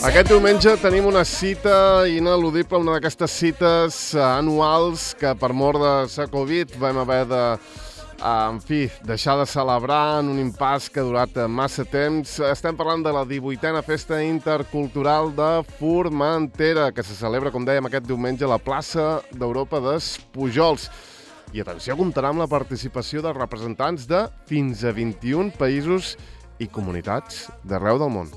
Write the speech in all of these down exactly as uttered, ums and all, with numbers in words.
Aquest diumenge tenim una cita ineludible, una d'aquestes cites anuals que per mort de la Covid vam haver de, en fi, deixar de celebrar en un impàs que ha durat massa temps. Estem parlant de la divuitena Festa Intercultural de Formentera, que se celebra, com dèiem, aquest diumenge a la plaça d'Europa dels Pujols. I atenció, comptarà amb la participació de representants de fins a vint-i-un països i comunitats d'arreu del món.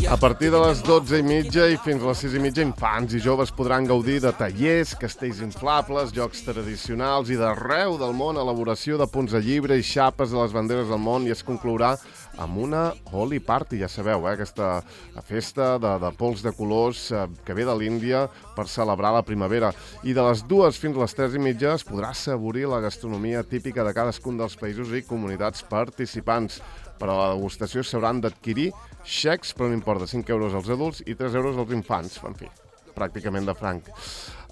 A partir de les dotze i mitja i fins a les sis i mitja, infants i joves podran gaudir de tallers, castells inflables, jocs tradicionals i d'arreu del món, elaboració de punts de llibre i xapes de les banderes del món, i es conclourà amb una Holi Party, ja sabeu, eh? Aquesta festa de, de pols de colors eh, que ve de l'Índia per celebrar la primavera. I de les dues fins a les tres i mitja es podrà assaborir la gastronomia típica de cadascun dels països i comunitats participants. Per a la degustació s'hauran d'adquirir xecs per un import de cinc euros als adults i tres euros als infants. En fi, pràcticament de franc.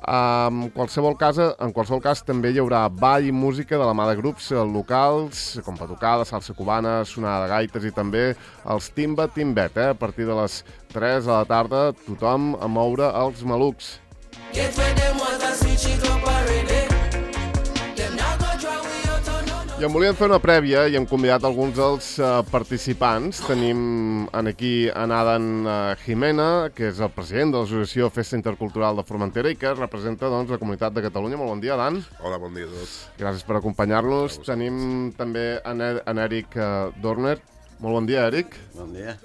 En qualsevol cas, en qualsevol cas també hi haurà ball i música de la mà de grups locals, com batucada, salsa cubana, sonada de gaites i també els Timba Timbet. Eh? A partir de les tres de la tarda, tothom a moure els malucs. I em volíem fer una prèvia i hem convidat alguns dels uh, participants. Tenim aquí en Adan uh, Jimena, que és el president de l'Associació Festa Intercultural de Formentera i que representa doncs, la comunitat de Catalunya. Molt bon dia, Adan. Hola, bon dia a tots. Gràcies per acompanyar-nos. Tenim també en, e en Eric uh, Dorner. Molt bon dia, Eric. Bon dia.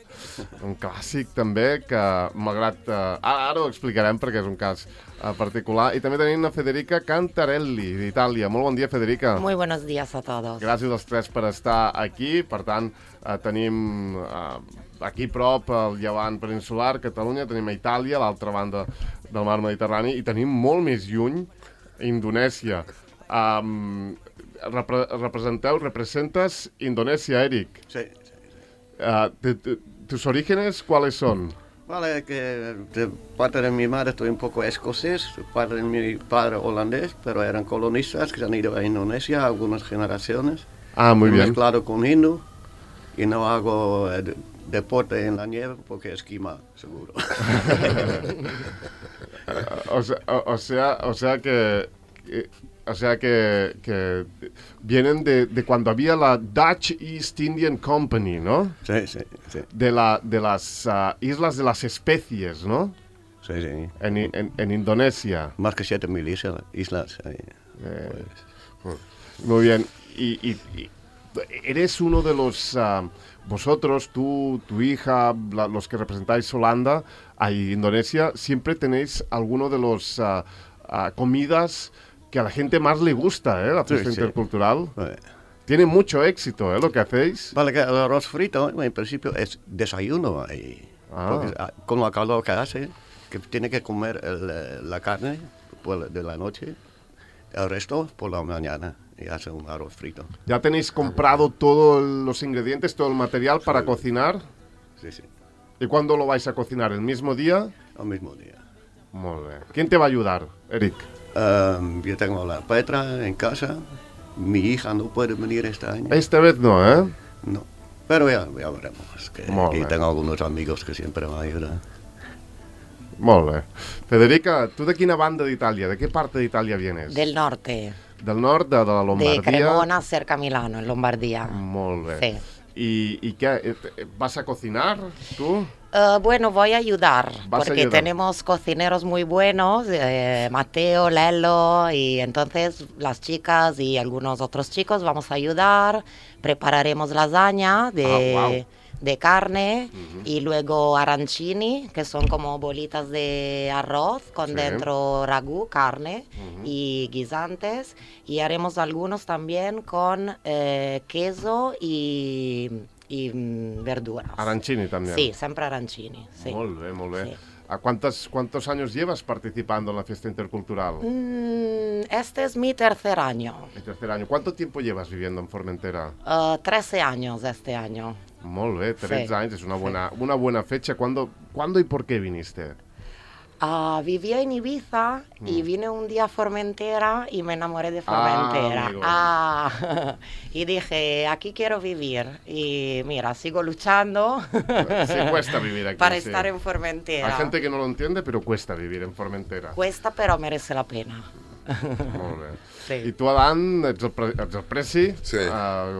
Un clàssic també que, malgrat... Uh, ara, ara ho explicarem perquè és un cas uh, particular. I també tenim la Federica Cantarelli, d'Itàlia. Molt bon dia, Federica. Muy buenos días a todos. Gràcies als tres per estar aquí. Per tant, uh, tenim uh, aquí prop el llevant peninsular, Catalunya, tenim a Itàlia, a l'altra banda del mar Mediterrani, i tenim molt més lluny Indonèsia. Um, repre representeu, representes Indonèsia, Eric. Sí. Uh, de, de, ¿Tus orígenes cuáles son? Vale, que de parte de mi madre estoy un poco escocés, de parte de mi padre holandés, pero eran colonistas que se han ido a Indonesia algunas generaciones. Ah, muy bien. Mezclado con hindú y no hago eh, de, deporte en la nieve porque esquima, seguro. o, sea, o, o sea, o sea que... que O sea que, que vienen de, de cuando había la Dutch East Indian Company, ¿no? Sí, sí, sí. De, la, de las uh, Islas de las Especies, ¿no? Sí, sí. En, en, en Indonesia. Más que siete mil islas. islas eh, eh, pues. Muy bien. Y, y, y eres uno de los... Uh, vosotros, tú, tu hija, la, los que representáis Holanda, a Indonesia, siempre tenéis alguno de los uh, uh, comidas... que a la gente más le gusta, ¿eh? La fiesta sí, intercultural. Sí. Tiene mucho éxito, ¿eh? Lo que hacéis. Vale, que el arroz frito, en principio, es desayuno. Y, ah. Porque, con la calor que hace, que tiene que comer el, la carne pues, de la noche, el resto por la mañana, y hace un arroz frito. ¿Ya tenéis comprado todos los ingredientes, todo el material para sí. cocinar? Sí, sí. ¿Y cuándo lo vais a cocinar? ¿El mismo día? El mismo día. Muy bien. ¿Quién te va a ayudar, Eric? Um, yo tengo la Petra en casa. Mi hija no puede venir este año. Esta vez no, ¿eh? No. Pero ya, ya veremos. Que aquí tengo algunos amigos que siempre me ayudan. Molt bé. Federica, ¿tú de quina banda d'Itàlia? ¿De qué parte de Italia vienes? Del norte. Del nord, de, de la Lombardia? De Cremona, cerca a Milano, en Lombardía. Molt bé. Sí. ¿Y, y qué? ¿Vas a cocinar tú? Uh, bueno, voy a ayudar, porque ayudar? tenemos cocineros muy buenos, eh, Mateo, Lelo, y entonces las chicas y algunos otros chicos vamos a ayudar, prepararemos lasaña de, ah, wow. de carne, uh-huh. y luego arancini, que son como bolitas de arroz con sí. dentro ragú, carne, uh-huh. y guisantes, y haremos algunos también con eh, queso y... y verduras. Arancini también. Sí, siempre arancini. Sí. Molt bé, molt bé. Sí. ¿A cuántos, cuántos años llevas participando en la fiesta intercultural? Mm, este es mi tercer año. El tercer año. ¿Cuánto tiempo llevas viviendo en Formentera? Uh, trece años este año. Molt bé, tretze sí. anys, és una buena, sí. una buena fecha. ¿Cuándo, ¿Cuándo y por qué viniste? Uh, vivía en Ibiza mm. y vine un día a Formentera y me enamoré de Formentera. Ah, ah y dije, aquí quiero vivir. Y mira, sigo luchando. Sí, cuesta vivir aquí. Para sí. estar en Formentera. Hay gente que no lo entiende, pero cuesta vivir en Formentera. Cuesta, però merece la pena. Molt bé. Sí. I tu, Adam, ets el, pre ets el presi, sí. uh,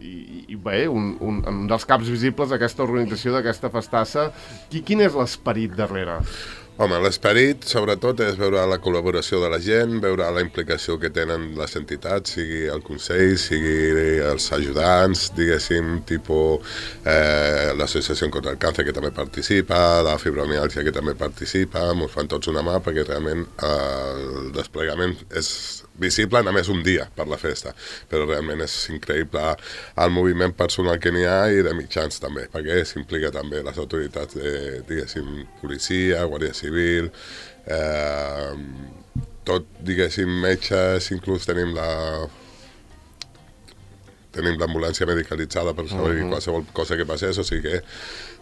i, i bé, un, un, un dels caps visibles d'aquesta organització, d'aquesta festassa. Qui, quin és l'esperit darrere? Home, l'esperit, sobretot, és veure la col·laboració de la gent, veure la implicació que tenen les entitats, sigui el Consell, sigui els ajudants, diguéssim, tipus eh, l'Associació contra el Càncer, que també participa, la fibromiàlgia, que també participa, ens fan tots una mà, perquè realment eh, el desplegament és visible només un dia per la festa, però realment és increïble el moviment personal que n'hi ha i de mitjans també, perquè s'implica també les autoritats de, diguéssim, policia, guàrdia civil, eh, tot, diguéssim, metges, inclús tenim la tenim l'ambulància medicalitzada per saber uh-huh. qualsevol cosa que passés, o sigui que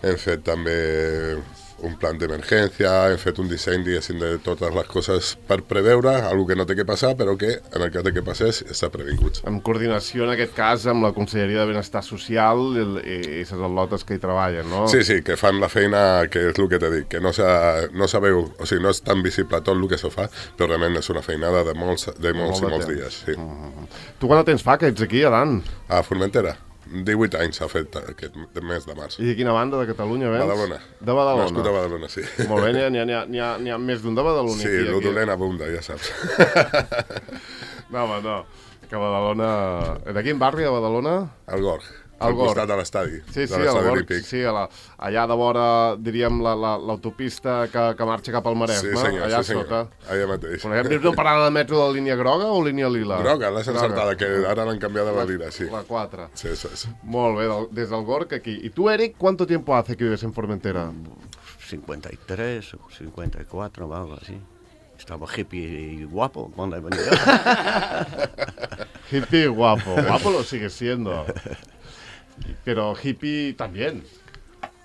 hem fet també un plan d'emergència, hem fet un disseny, diguéssim, de totes les coses per preveure, algo que no té que passar, però que, en el cas de que passés, està previngut. En coordinació, en aquest cas, amb la Conselleria de Benestar Social i les al·lotes que hi treballen, no? Sí, sí, que fan la feina, que és el que t'he dit, que no, no sabeu, o sigui, no és tan visible tot el que se fa, però realment és una feinada de molts, de molts Molt i molts temps. dies, sí. Mm-hmm. Tu quant de temps fa que ets aquí, Adan? A Formentera. divuit anys s'ha fet aquest mes de març. I de quina banda de Catalunya vens? Badalona. De Badalona. Nascut a Badalona, sí. Molt bé, n'hi ha, n'hi ha, n'hi ha més d'un de Badalona. Sí, el dolent abunda, ja saps. No, home, no. Que Badalona... De quin barri de Badalona? El Gorg. Al al costat de l'estadi. Sí, sí, al Gorg, sí, a la, allà de vora, diríem, l'autopista la, la, que, que marxa cap al Maresme, sí, senyor, allà sí, senyor. sota. Allà mateix. Hem vist una parada de metro de línia groga o línia lila? Groga, l'has encertada, que ara l'han canviat de la lila, sí. La quatre. Sí, sí, sí. Molt bé, del, des del Gorg aquí. I tu, Eric, ¿cuánto tiempo hace que vives en Formentera? cincuenta y tres o cincuenta y cuatro, algo así. Estaba hippie y guapo cuando he venido. Hippie y guapo. Guapo lo sigue siendo. Pero hippie también.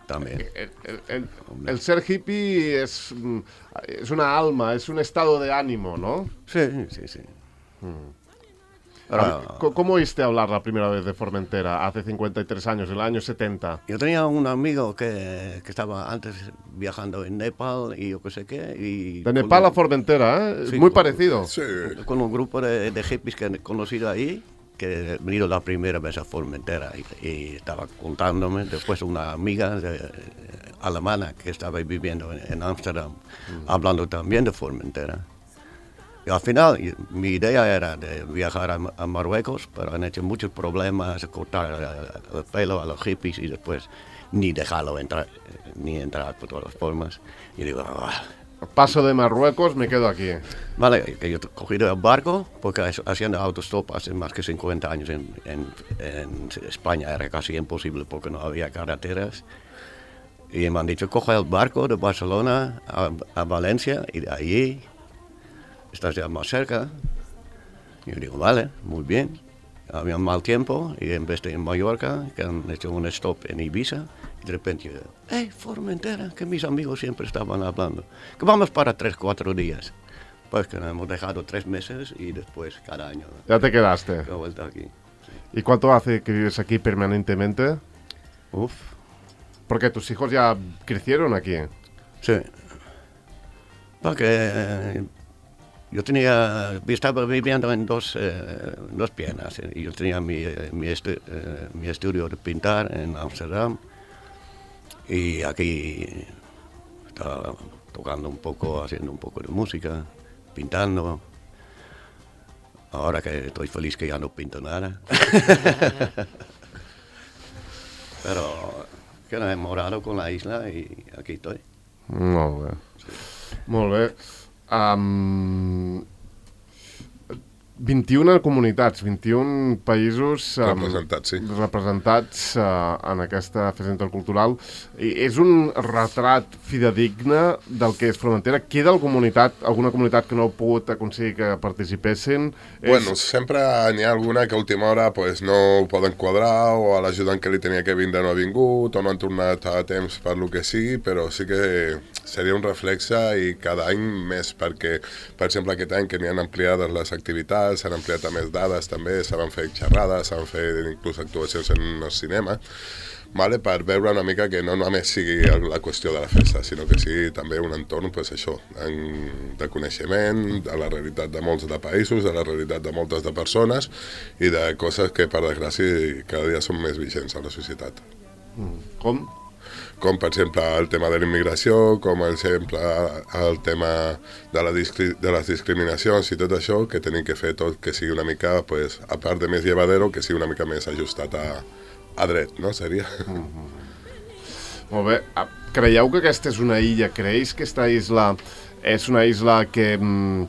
También. El, el, el, el ser hippie es, es una alma, es un estado de ánimo, ¿no? Sí, sí, sí. Mm. Ahora, ¿Cómo oíste hablar la primera vez de Formentera hace cincuenta y tres años, en el año setenta? Yo tenía un amigo que, que estaba antes viajando en Nepal y yo qué sé qué. Y de Nepal a Formentera, ¿eh? Sí, muy con, parecido. Sí. Con un grupo de, de hippies que he conocido ahí, que he venido la primera vez a Formentera y, y estaba contándome, después una amiga de, de, alemana que estaba viviendo en Ámsterdam, mm. hablando también de Formentera. Y al final, mi idea era de viajar a, a Marruecos, pero han hecho muchos problemas, cortar el, el pelo a los hippies y después ni dejarlo entrar, ni entrar por todas las formas. Y digo, ah, paso de Marruecos, me quedo aquí. Vale, que yo he cogido el barco, porque haciendo autostop hace más que cincuenta años en, en, en España era casi imposible porque no había carreteras. Y me han dicho, coge el barco de Barcelona a, a Valencia y de allí estás ya más cerca. Y yo digo, vale, muy bien. Había mal tiempo y en vez de en Mallorca, que han hecho un stop en Ibiza, y de repente yo digo, hey, Formentera, que mis amigos siempre estaban hablando, que vamos para tres, cuatro días. Pues que nos hemos dejado tres meses y después cada año. Ya te quedaste. He vuelto aquí. Sí. ¿Y cuánto hace que vives aquí permanentemente? Uf. Porque tus hijos ya crecieron aquí. Sí. Porque eh, yo tenía, estaba viviendo en dos, eh, dos piernas. Y yo tenía mi, mi, estu, eh, mi estudio de pintar en Ámsterdam. Y aquí estaba tocando un poco, haciendo un poco de música, pintando. Ahora que estoy feliz que ya no pinto nada. Pero que me he enamorado con la isla y aquí estoy. Molt bé. Sí. Molt bé. Um, vint-i-una comunitats, vint-i-un països um, representats, sí. representats uh, en aquesta festa intercultural. I és un retrat fidedigne del que és Formentera. Queda comunitat, alguna comunitat que no ha pogut aconseguir que participessin? Bueno, és... sempre n'hi ha alguna que a última hora pues, no ho poden quadrar, o a l'ajudant que li tenia que vindre no ha vingut, o no han tornat a temps per lo que sigui, però sí que seria un reflexe i cada any més, perquè, per exemple, aquest any que n'hi han ampliades les activitats, s'han ampliat a més dades també, s'han fet xerrades, s'han fet inclús actuacions en el cinema, vale, per veure una mica que no només sigui la qüestió de la festa, sinó que sigui també un entorn, pues, això, de coneixement, de la realitat de molts de països, de la realitat de moltes de persones i de coses que, per desgràcia, cada dia són més vigents a la societat. Mm. Com? Com per exemple el tema de la immigració, com per exemple el tema de, la discri de les discriminacions i tot això, que tenim que fer tot que sigui una mica, pues, a part de més llevadero, que sigui una mica més ajustat a, a dret, no? Seria. Mm-hmm. Molt bé. Creieu que aquesta és una illa? Creus que aquesta isla és una isla que mm,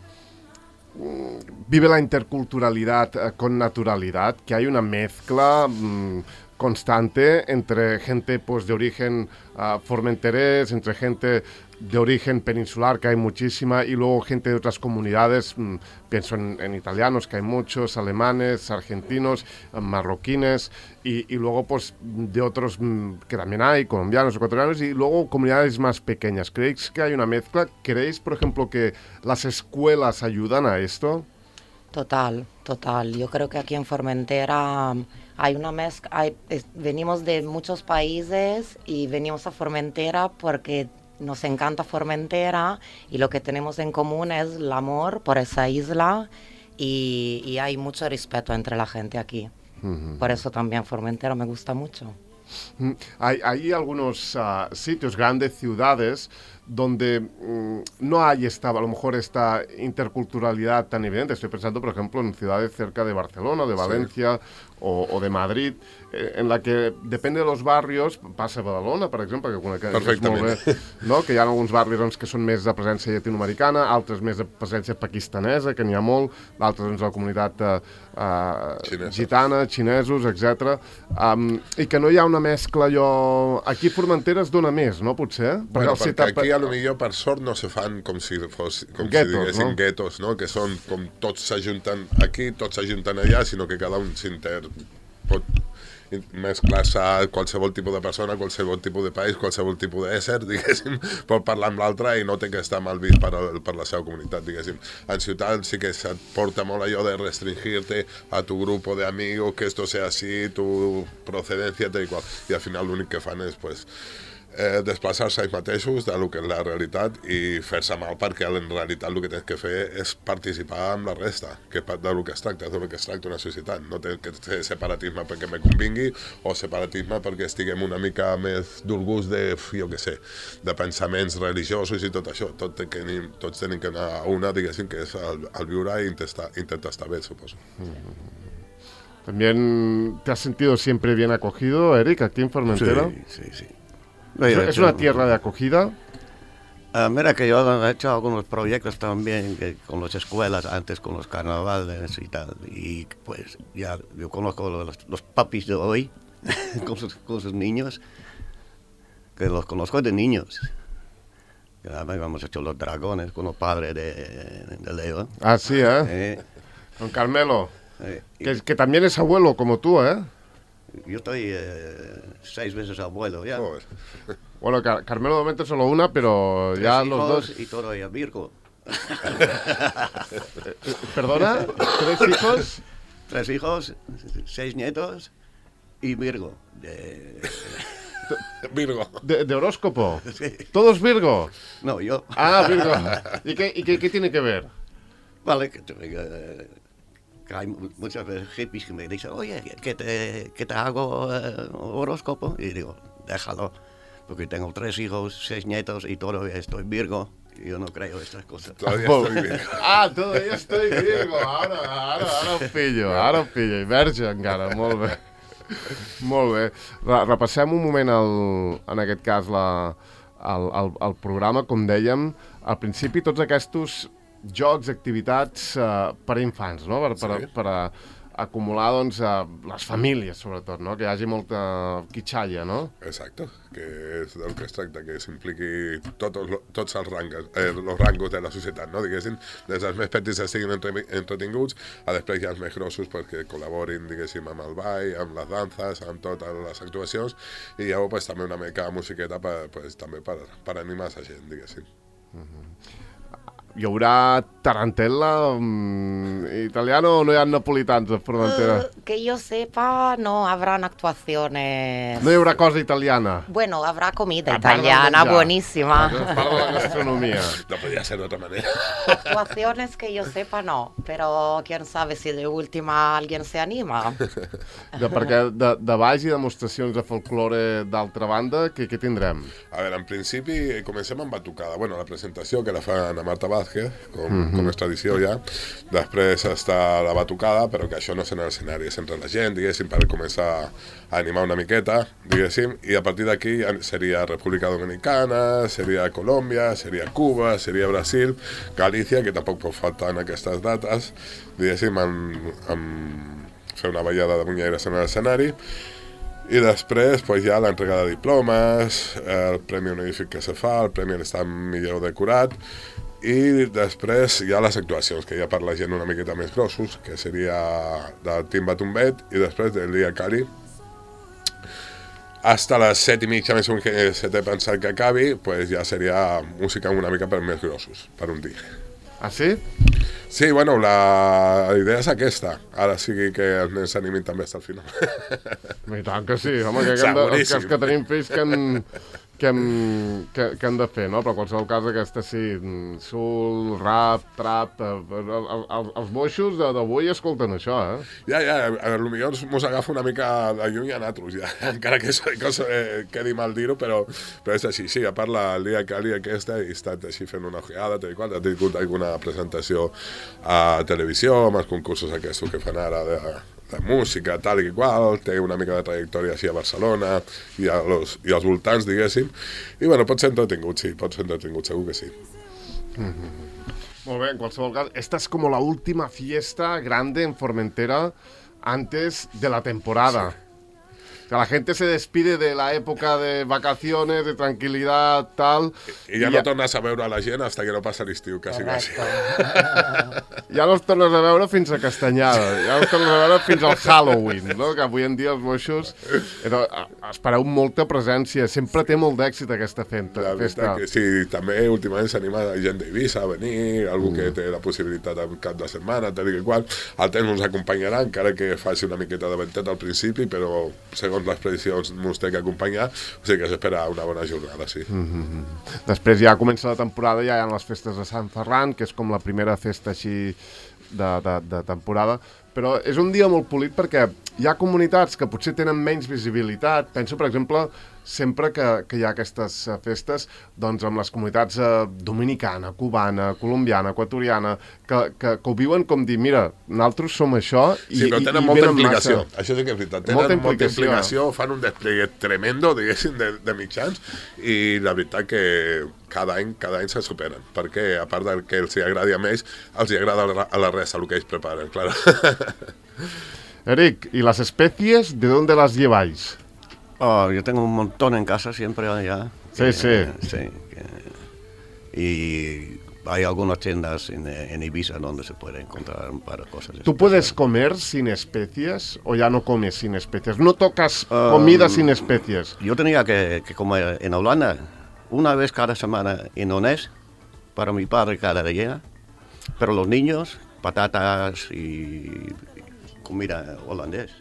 vive la interculturalidad eh, con naturalidad, que hay una mezcla mm, constante entre gente pues de origen uh, formenterés, entre gente de origen peninsular, que hay muchísima, y luego gente de otras comunidades, mmm, pienso en, en italianos, que hay muchos, alemanes, argentinos, marroquines, y, y luego pues de otros mmm, que también hay, colombianos, ecuatorianos, y luego comunidades más pequeñas. ¿Creéis que hay una mezcla? ¿Creéis, por ejemplo, que las escuelas ayudan a esto? Total, total. Yo creo que aquí en Formentera hay una mezcla, hay, es, venimos de muchos países y venimos a Formentera porque nos encanta Formentera y lo que tenemos en común es el amor por esa isla y, y hay mucho respeto entre la gente aquí. Uh-huh. Por eso también Formentera me gusta mucho. Uh-huh. Hay, hay algunos uh, sitios, grandes ciudades, donde mmm, no hay esta, a lo mejor esta interculturalidad tan evidente. Estoy pensando, por ejemplo, en ciudades cerca de Barcelona, de Valencia, sí. o, o de Madrid, eh, en la que depende de los barrios, passa a Badalona, per exemple, que, que perfectament. És molt bé, no? Que hi ha alguns barris doncs, que són més de presència llatinoamericana, altres més de presència pakistanesa, que n'hi ha molt, d'altres doncs, la comunitat eh, uh, gitana, xinesos, etcètera. Um, I que no hi ha una mescla, allò... Aquí a Formentera es dona més, no, potser? Bueno, perquè, perquè aquí a lo millor per sort no se fan com si fos, com guetos, si diguessin no? guetos, no? Que són com tots s'ajunten aquí, tots s'ajunten allà, sinó que cada un s'inter pot mesclar-se a qualsevol tipus de persona, qualsevol tipus de país, qualsevol tipus d'ésser, diguéssim, pot parlar amb l'altre i no té que estar mal vist per, per la seva comunitat, diguéssim. En ciutat sí que se't porta molt allò de restringir-te a tu grupo de amigos, que esto sea así, tu procedencia, tal i qual. I al final l'únic que fan és, pues, Eh, desplaçar-se ells mateixos de lo que és la realitat i fer-se mal, perquè en realitat el que tens que fer és participar amb la resta, que de lo que es tracta, de lo que es tracta una societat. No té que ser separatisme perquè me convingui o separatisme perquè estiguem una mica més d'orgulls de, jo què sé, de pensaments religiosos i tot això. Tot que, tots tenim que anar a una, diguéssim, que és el, el viure i intentar, intentar estar bé, suposo. Mm-hmm. ¿También te has sentido siempre bien acogido, Eric, aquí en Formentera? Sí, sí, sí. ¿Es, ¿Es una tierra de acogida? Uh, mira que yo he hecho algunos proyectos también que, con las escuelas, antes con los carnavales y tal, y pues ya yo conozco los, los papis de hoy con, sus, con sus niños, que los conozco de niños. Hemos hecho los dragones con los padres de, de Leo. Ah, sí, ¿eh? eh con Carmelo, eh, que, que también es abuelo como tú, ¿eh? Yo estoy eh, seis veces abuelo ya. Joder. Bueno, Car Carmelo de momento solo una, pero Tres ya hijos los dos... y todo ya Virgo. ¿Perdona? ¿Tres hijos? Tres hijos, seis nietos y Virgo. De... Virgo. ¿De, de horóscopo? Sí. ¿Todos Virgo? No, yo. Ah, Virgo. ¿Y qué, y qué, qué tiene que ver? Vale, que... Eh, hay muchas veces hippies que me dicen, oye, que te, que te hago uh, horóscopo. Y digo, déjalo, porque tengo tres hijos, seis nietos y todavía estoy Virgo. Y yo no creo estas cosas. Todavía estoy Virgo. Ah, todavía estoy Virgo. Ara, ara, ara ho pillo, ara ho pillo. I verge encara, molt bé. Molt bé. Repassem un moment, el, en aquest cas, la, el, el, el programa. Com dèiem, al principi tots aquests jocs, activitats uh, per a infants, no? Per, per, sí. per a acumular, doncs, uh, les famílies, sobretot, no? Que hi hagi molta quitxalla, no? Exacte, que és del que es tracta, que s'impliqui tots, tots els rangos, eh, els rangos de la societat, no? Diguéssim, des dels més petits estiguin entre, entretinguts, a després hi ha els més grossos perquè col·laborin, diguéssim, amb el ball, amb les danses, amb totes les actuacions, i llavors pues, també una mica musiqueta per, pues, també per, per animar la gent, diguéssim. Uh-huh. Hi haurà tarantella um, italiano o no hi ha napolitans a Formentera? Uh, que yo sepa, no habrán actuaciones. No hi haurà cosa italiana? Bueno, habrá comida italiana buenísima. A part de la gastronomia. No podria ser de otra manera. Actuaciones que yo sepa no, pero quién sabe si de última alguien se anima. De, perquè de, de baix i demostracions de folklore d'altra banda, què, què tindrem? A veure, en principi comencem amb batucada. Bueno, la presentació que la fa Ana Marta Vázquez, com, mm-hmm. com és tradició ja. Després està la batucada, però que això no és en l'escenari, és entre la gent, diguéssim, per començar a animar una miqueta, diguéssim, i a partir d'aquí seria República Dominicana, seria Colòmbia, seria Cuba, seria Brasil, Galícia, que tampoc pot faltar en aquestes dates, diguéssim, amb, amb fer una ballada de munyeres en l'escenari. I després pues, hi ha l'entrega de diplomes, el premi honorífic que se fa, el premi a l'estat millor decorat, i després hi ha les actuacions, que ja per la gent una miqueta més grossos, que seria del Timba Tumbet, i després del Dia Cali. Hasta les set i mitja, més o menys que se té pensat que acabi, pues ja seria música una mica per més grossos, per un dia. Ah, sí? Sí, bueno, la idea és aquesta. Ara sigui que els nens s'animin també fins al final. I tant que sí, home, que, que hem de, els que, que tenim fills que hem, que, hem, que, que hem de fer, no? Però en qualsevol cas aquesta sí, sul, rap, trap, el, el, els boixos d'avui escolten això, eh? Ja, ja, potser mos agafa una mica de lluny a nosaltres, ja, encara que això eh, quedi mal dir-ho, però, però és així, sí, a part la Lia Cali aquesta, he estat així fent una ojeada, tal i qual, ha tingut alguna presentació a televisió, amb els concursos aquests que fan ara de, de música, tal i qual, té una mica de trajectòria així a Barcelona i, a los, i als voltants, diguéssim, i bueno, pot ser entretingut, sí, pot ser entretingut, segur que sí. Mm-hmm. Molt bé, en qualsevol cas, esta es como la última fiesta grande en Formentera antes de la temporada. Sí. Que la gente se despide de la época de vacaciones, de tranquilidad, tal... I, i ja I no ja... tornes a veure a la gent hasta que no passa l'estiu, quasi, quasi. Ja no els tornes a veure fins a Castanyada, ja no els tornes a veure fins al Halloween, no? Que avui en dia els boixos... Però, espereu molta presència, sempre té molt d'èxit aquesta festa. La festa. Que sí, també últimament s'anima gent d'Eivissa a venir, algú mm. que té la possibilitat de cap de setmana, tal i qual. El temps ens acompanyarà, encara que faci una miqueta de ventet al principi, però segons les previsions ens té que acompanyar, o sigui que s'espera una bona jornada, sí. Mm-hmm. Després ja comença la temporada, ja hi ha les festes de Sant Ferran, que és com la primera festa així de, de, de temporada, però és un dia molt polit perquè hi ha comunitats que potser tenen menys visibilitat. Penso, per exemple, sempre que, que hi ha aquestes festes, doncs amb les comunitats eh, dominicana, cubana, colombiana, equatoriana, que, que, que ho viuen com dir, mira, nosaltres som això i, sí, però tenen i, i molta implicació. Massa... Això sí que és veritat. Tenen molta implicació, molta implicació fan un desplegue tremendo, diguéssim, de, de mitjans, i la veritat que cada any, cada any se superen, perquè a part del que els agradi a ells, els agrada a la resta el que ells preparen, claro. Eric, ¿y las especies de dónde las lleváis? Oh, yo tengo un montón en casa siempre allá. Sí, que, sí. sí que, y hay algunas tiendas en, en Ibiza donde se puede encontrar para cosas. ¿Tú puedes comer sin especias o ya no comes sin especias? ¿No tocas comida um, sin especias? Yo tenía que, que comer en Holanda una vez cada semana en Onés, para mi padre cada día, pero los niños, patatas y comida holandés.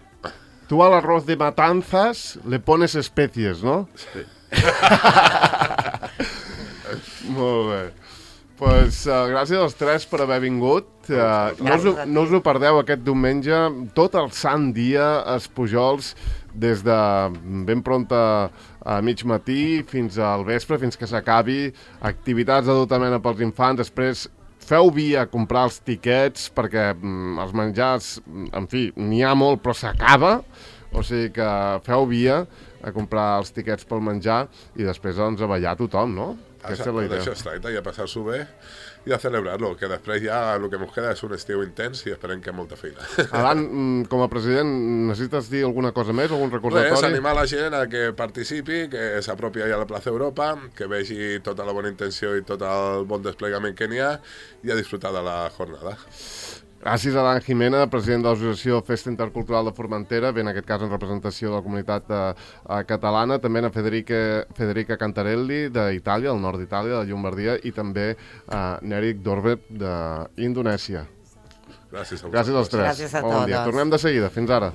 Tú al arroz de matanzas le pones especies, ¿no? Sí. Molt bé. Pues, uh, gràcies als tres per haver vingut. Uh, no, us, no us ho perdeu aquest diumenge, tot el sant dia, els Pujols, des de ben pronta a mig matí fins al vespre, fins que s'acabi, activitats de tota mena pels infants, després feu via a comprar els tiquets perquè mm, els menjars, en fi, n'hi ha molt però s'acaba, o sigui que feu via a comprar els tiquets pel menjar i després doncs a ballar tothom, no? Aquesta és la idea. D'això es tracta, i a passar-s'ho bé i a celebrar-lo, que després ja el que ens queda és un estiu intens i esperem que molta feina. Alan, com a president, necessites dir alguna cosa més, algun recordatori? Res, animar la gent a que participi, que s'apropi a la plaça Europa, que vegi tota la bona intenció i tot el bon desplegament que n'hi ha i a disfrutar de la jornada. Gràcies a Dan Jimena, president de l'Associació Festa Intercultural de Formentera, bé, en aquest cas en representació de la comunitat eh, catalana, també a Federica, Federica Cantarelli d'Itàlia, del nord d'Itàlia, de Llombardia, i també a Nerik Dorbet d'Indonèsia. Gràcies a vosaltres. Gràcies als tres. Gràcies a bon dia. totes. Tornem de seguida. Fins ara.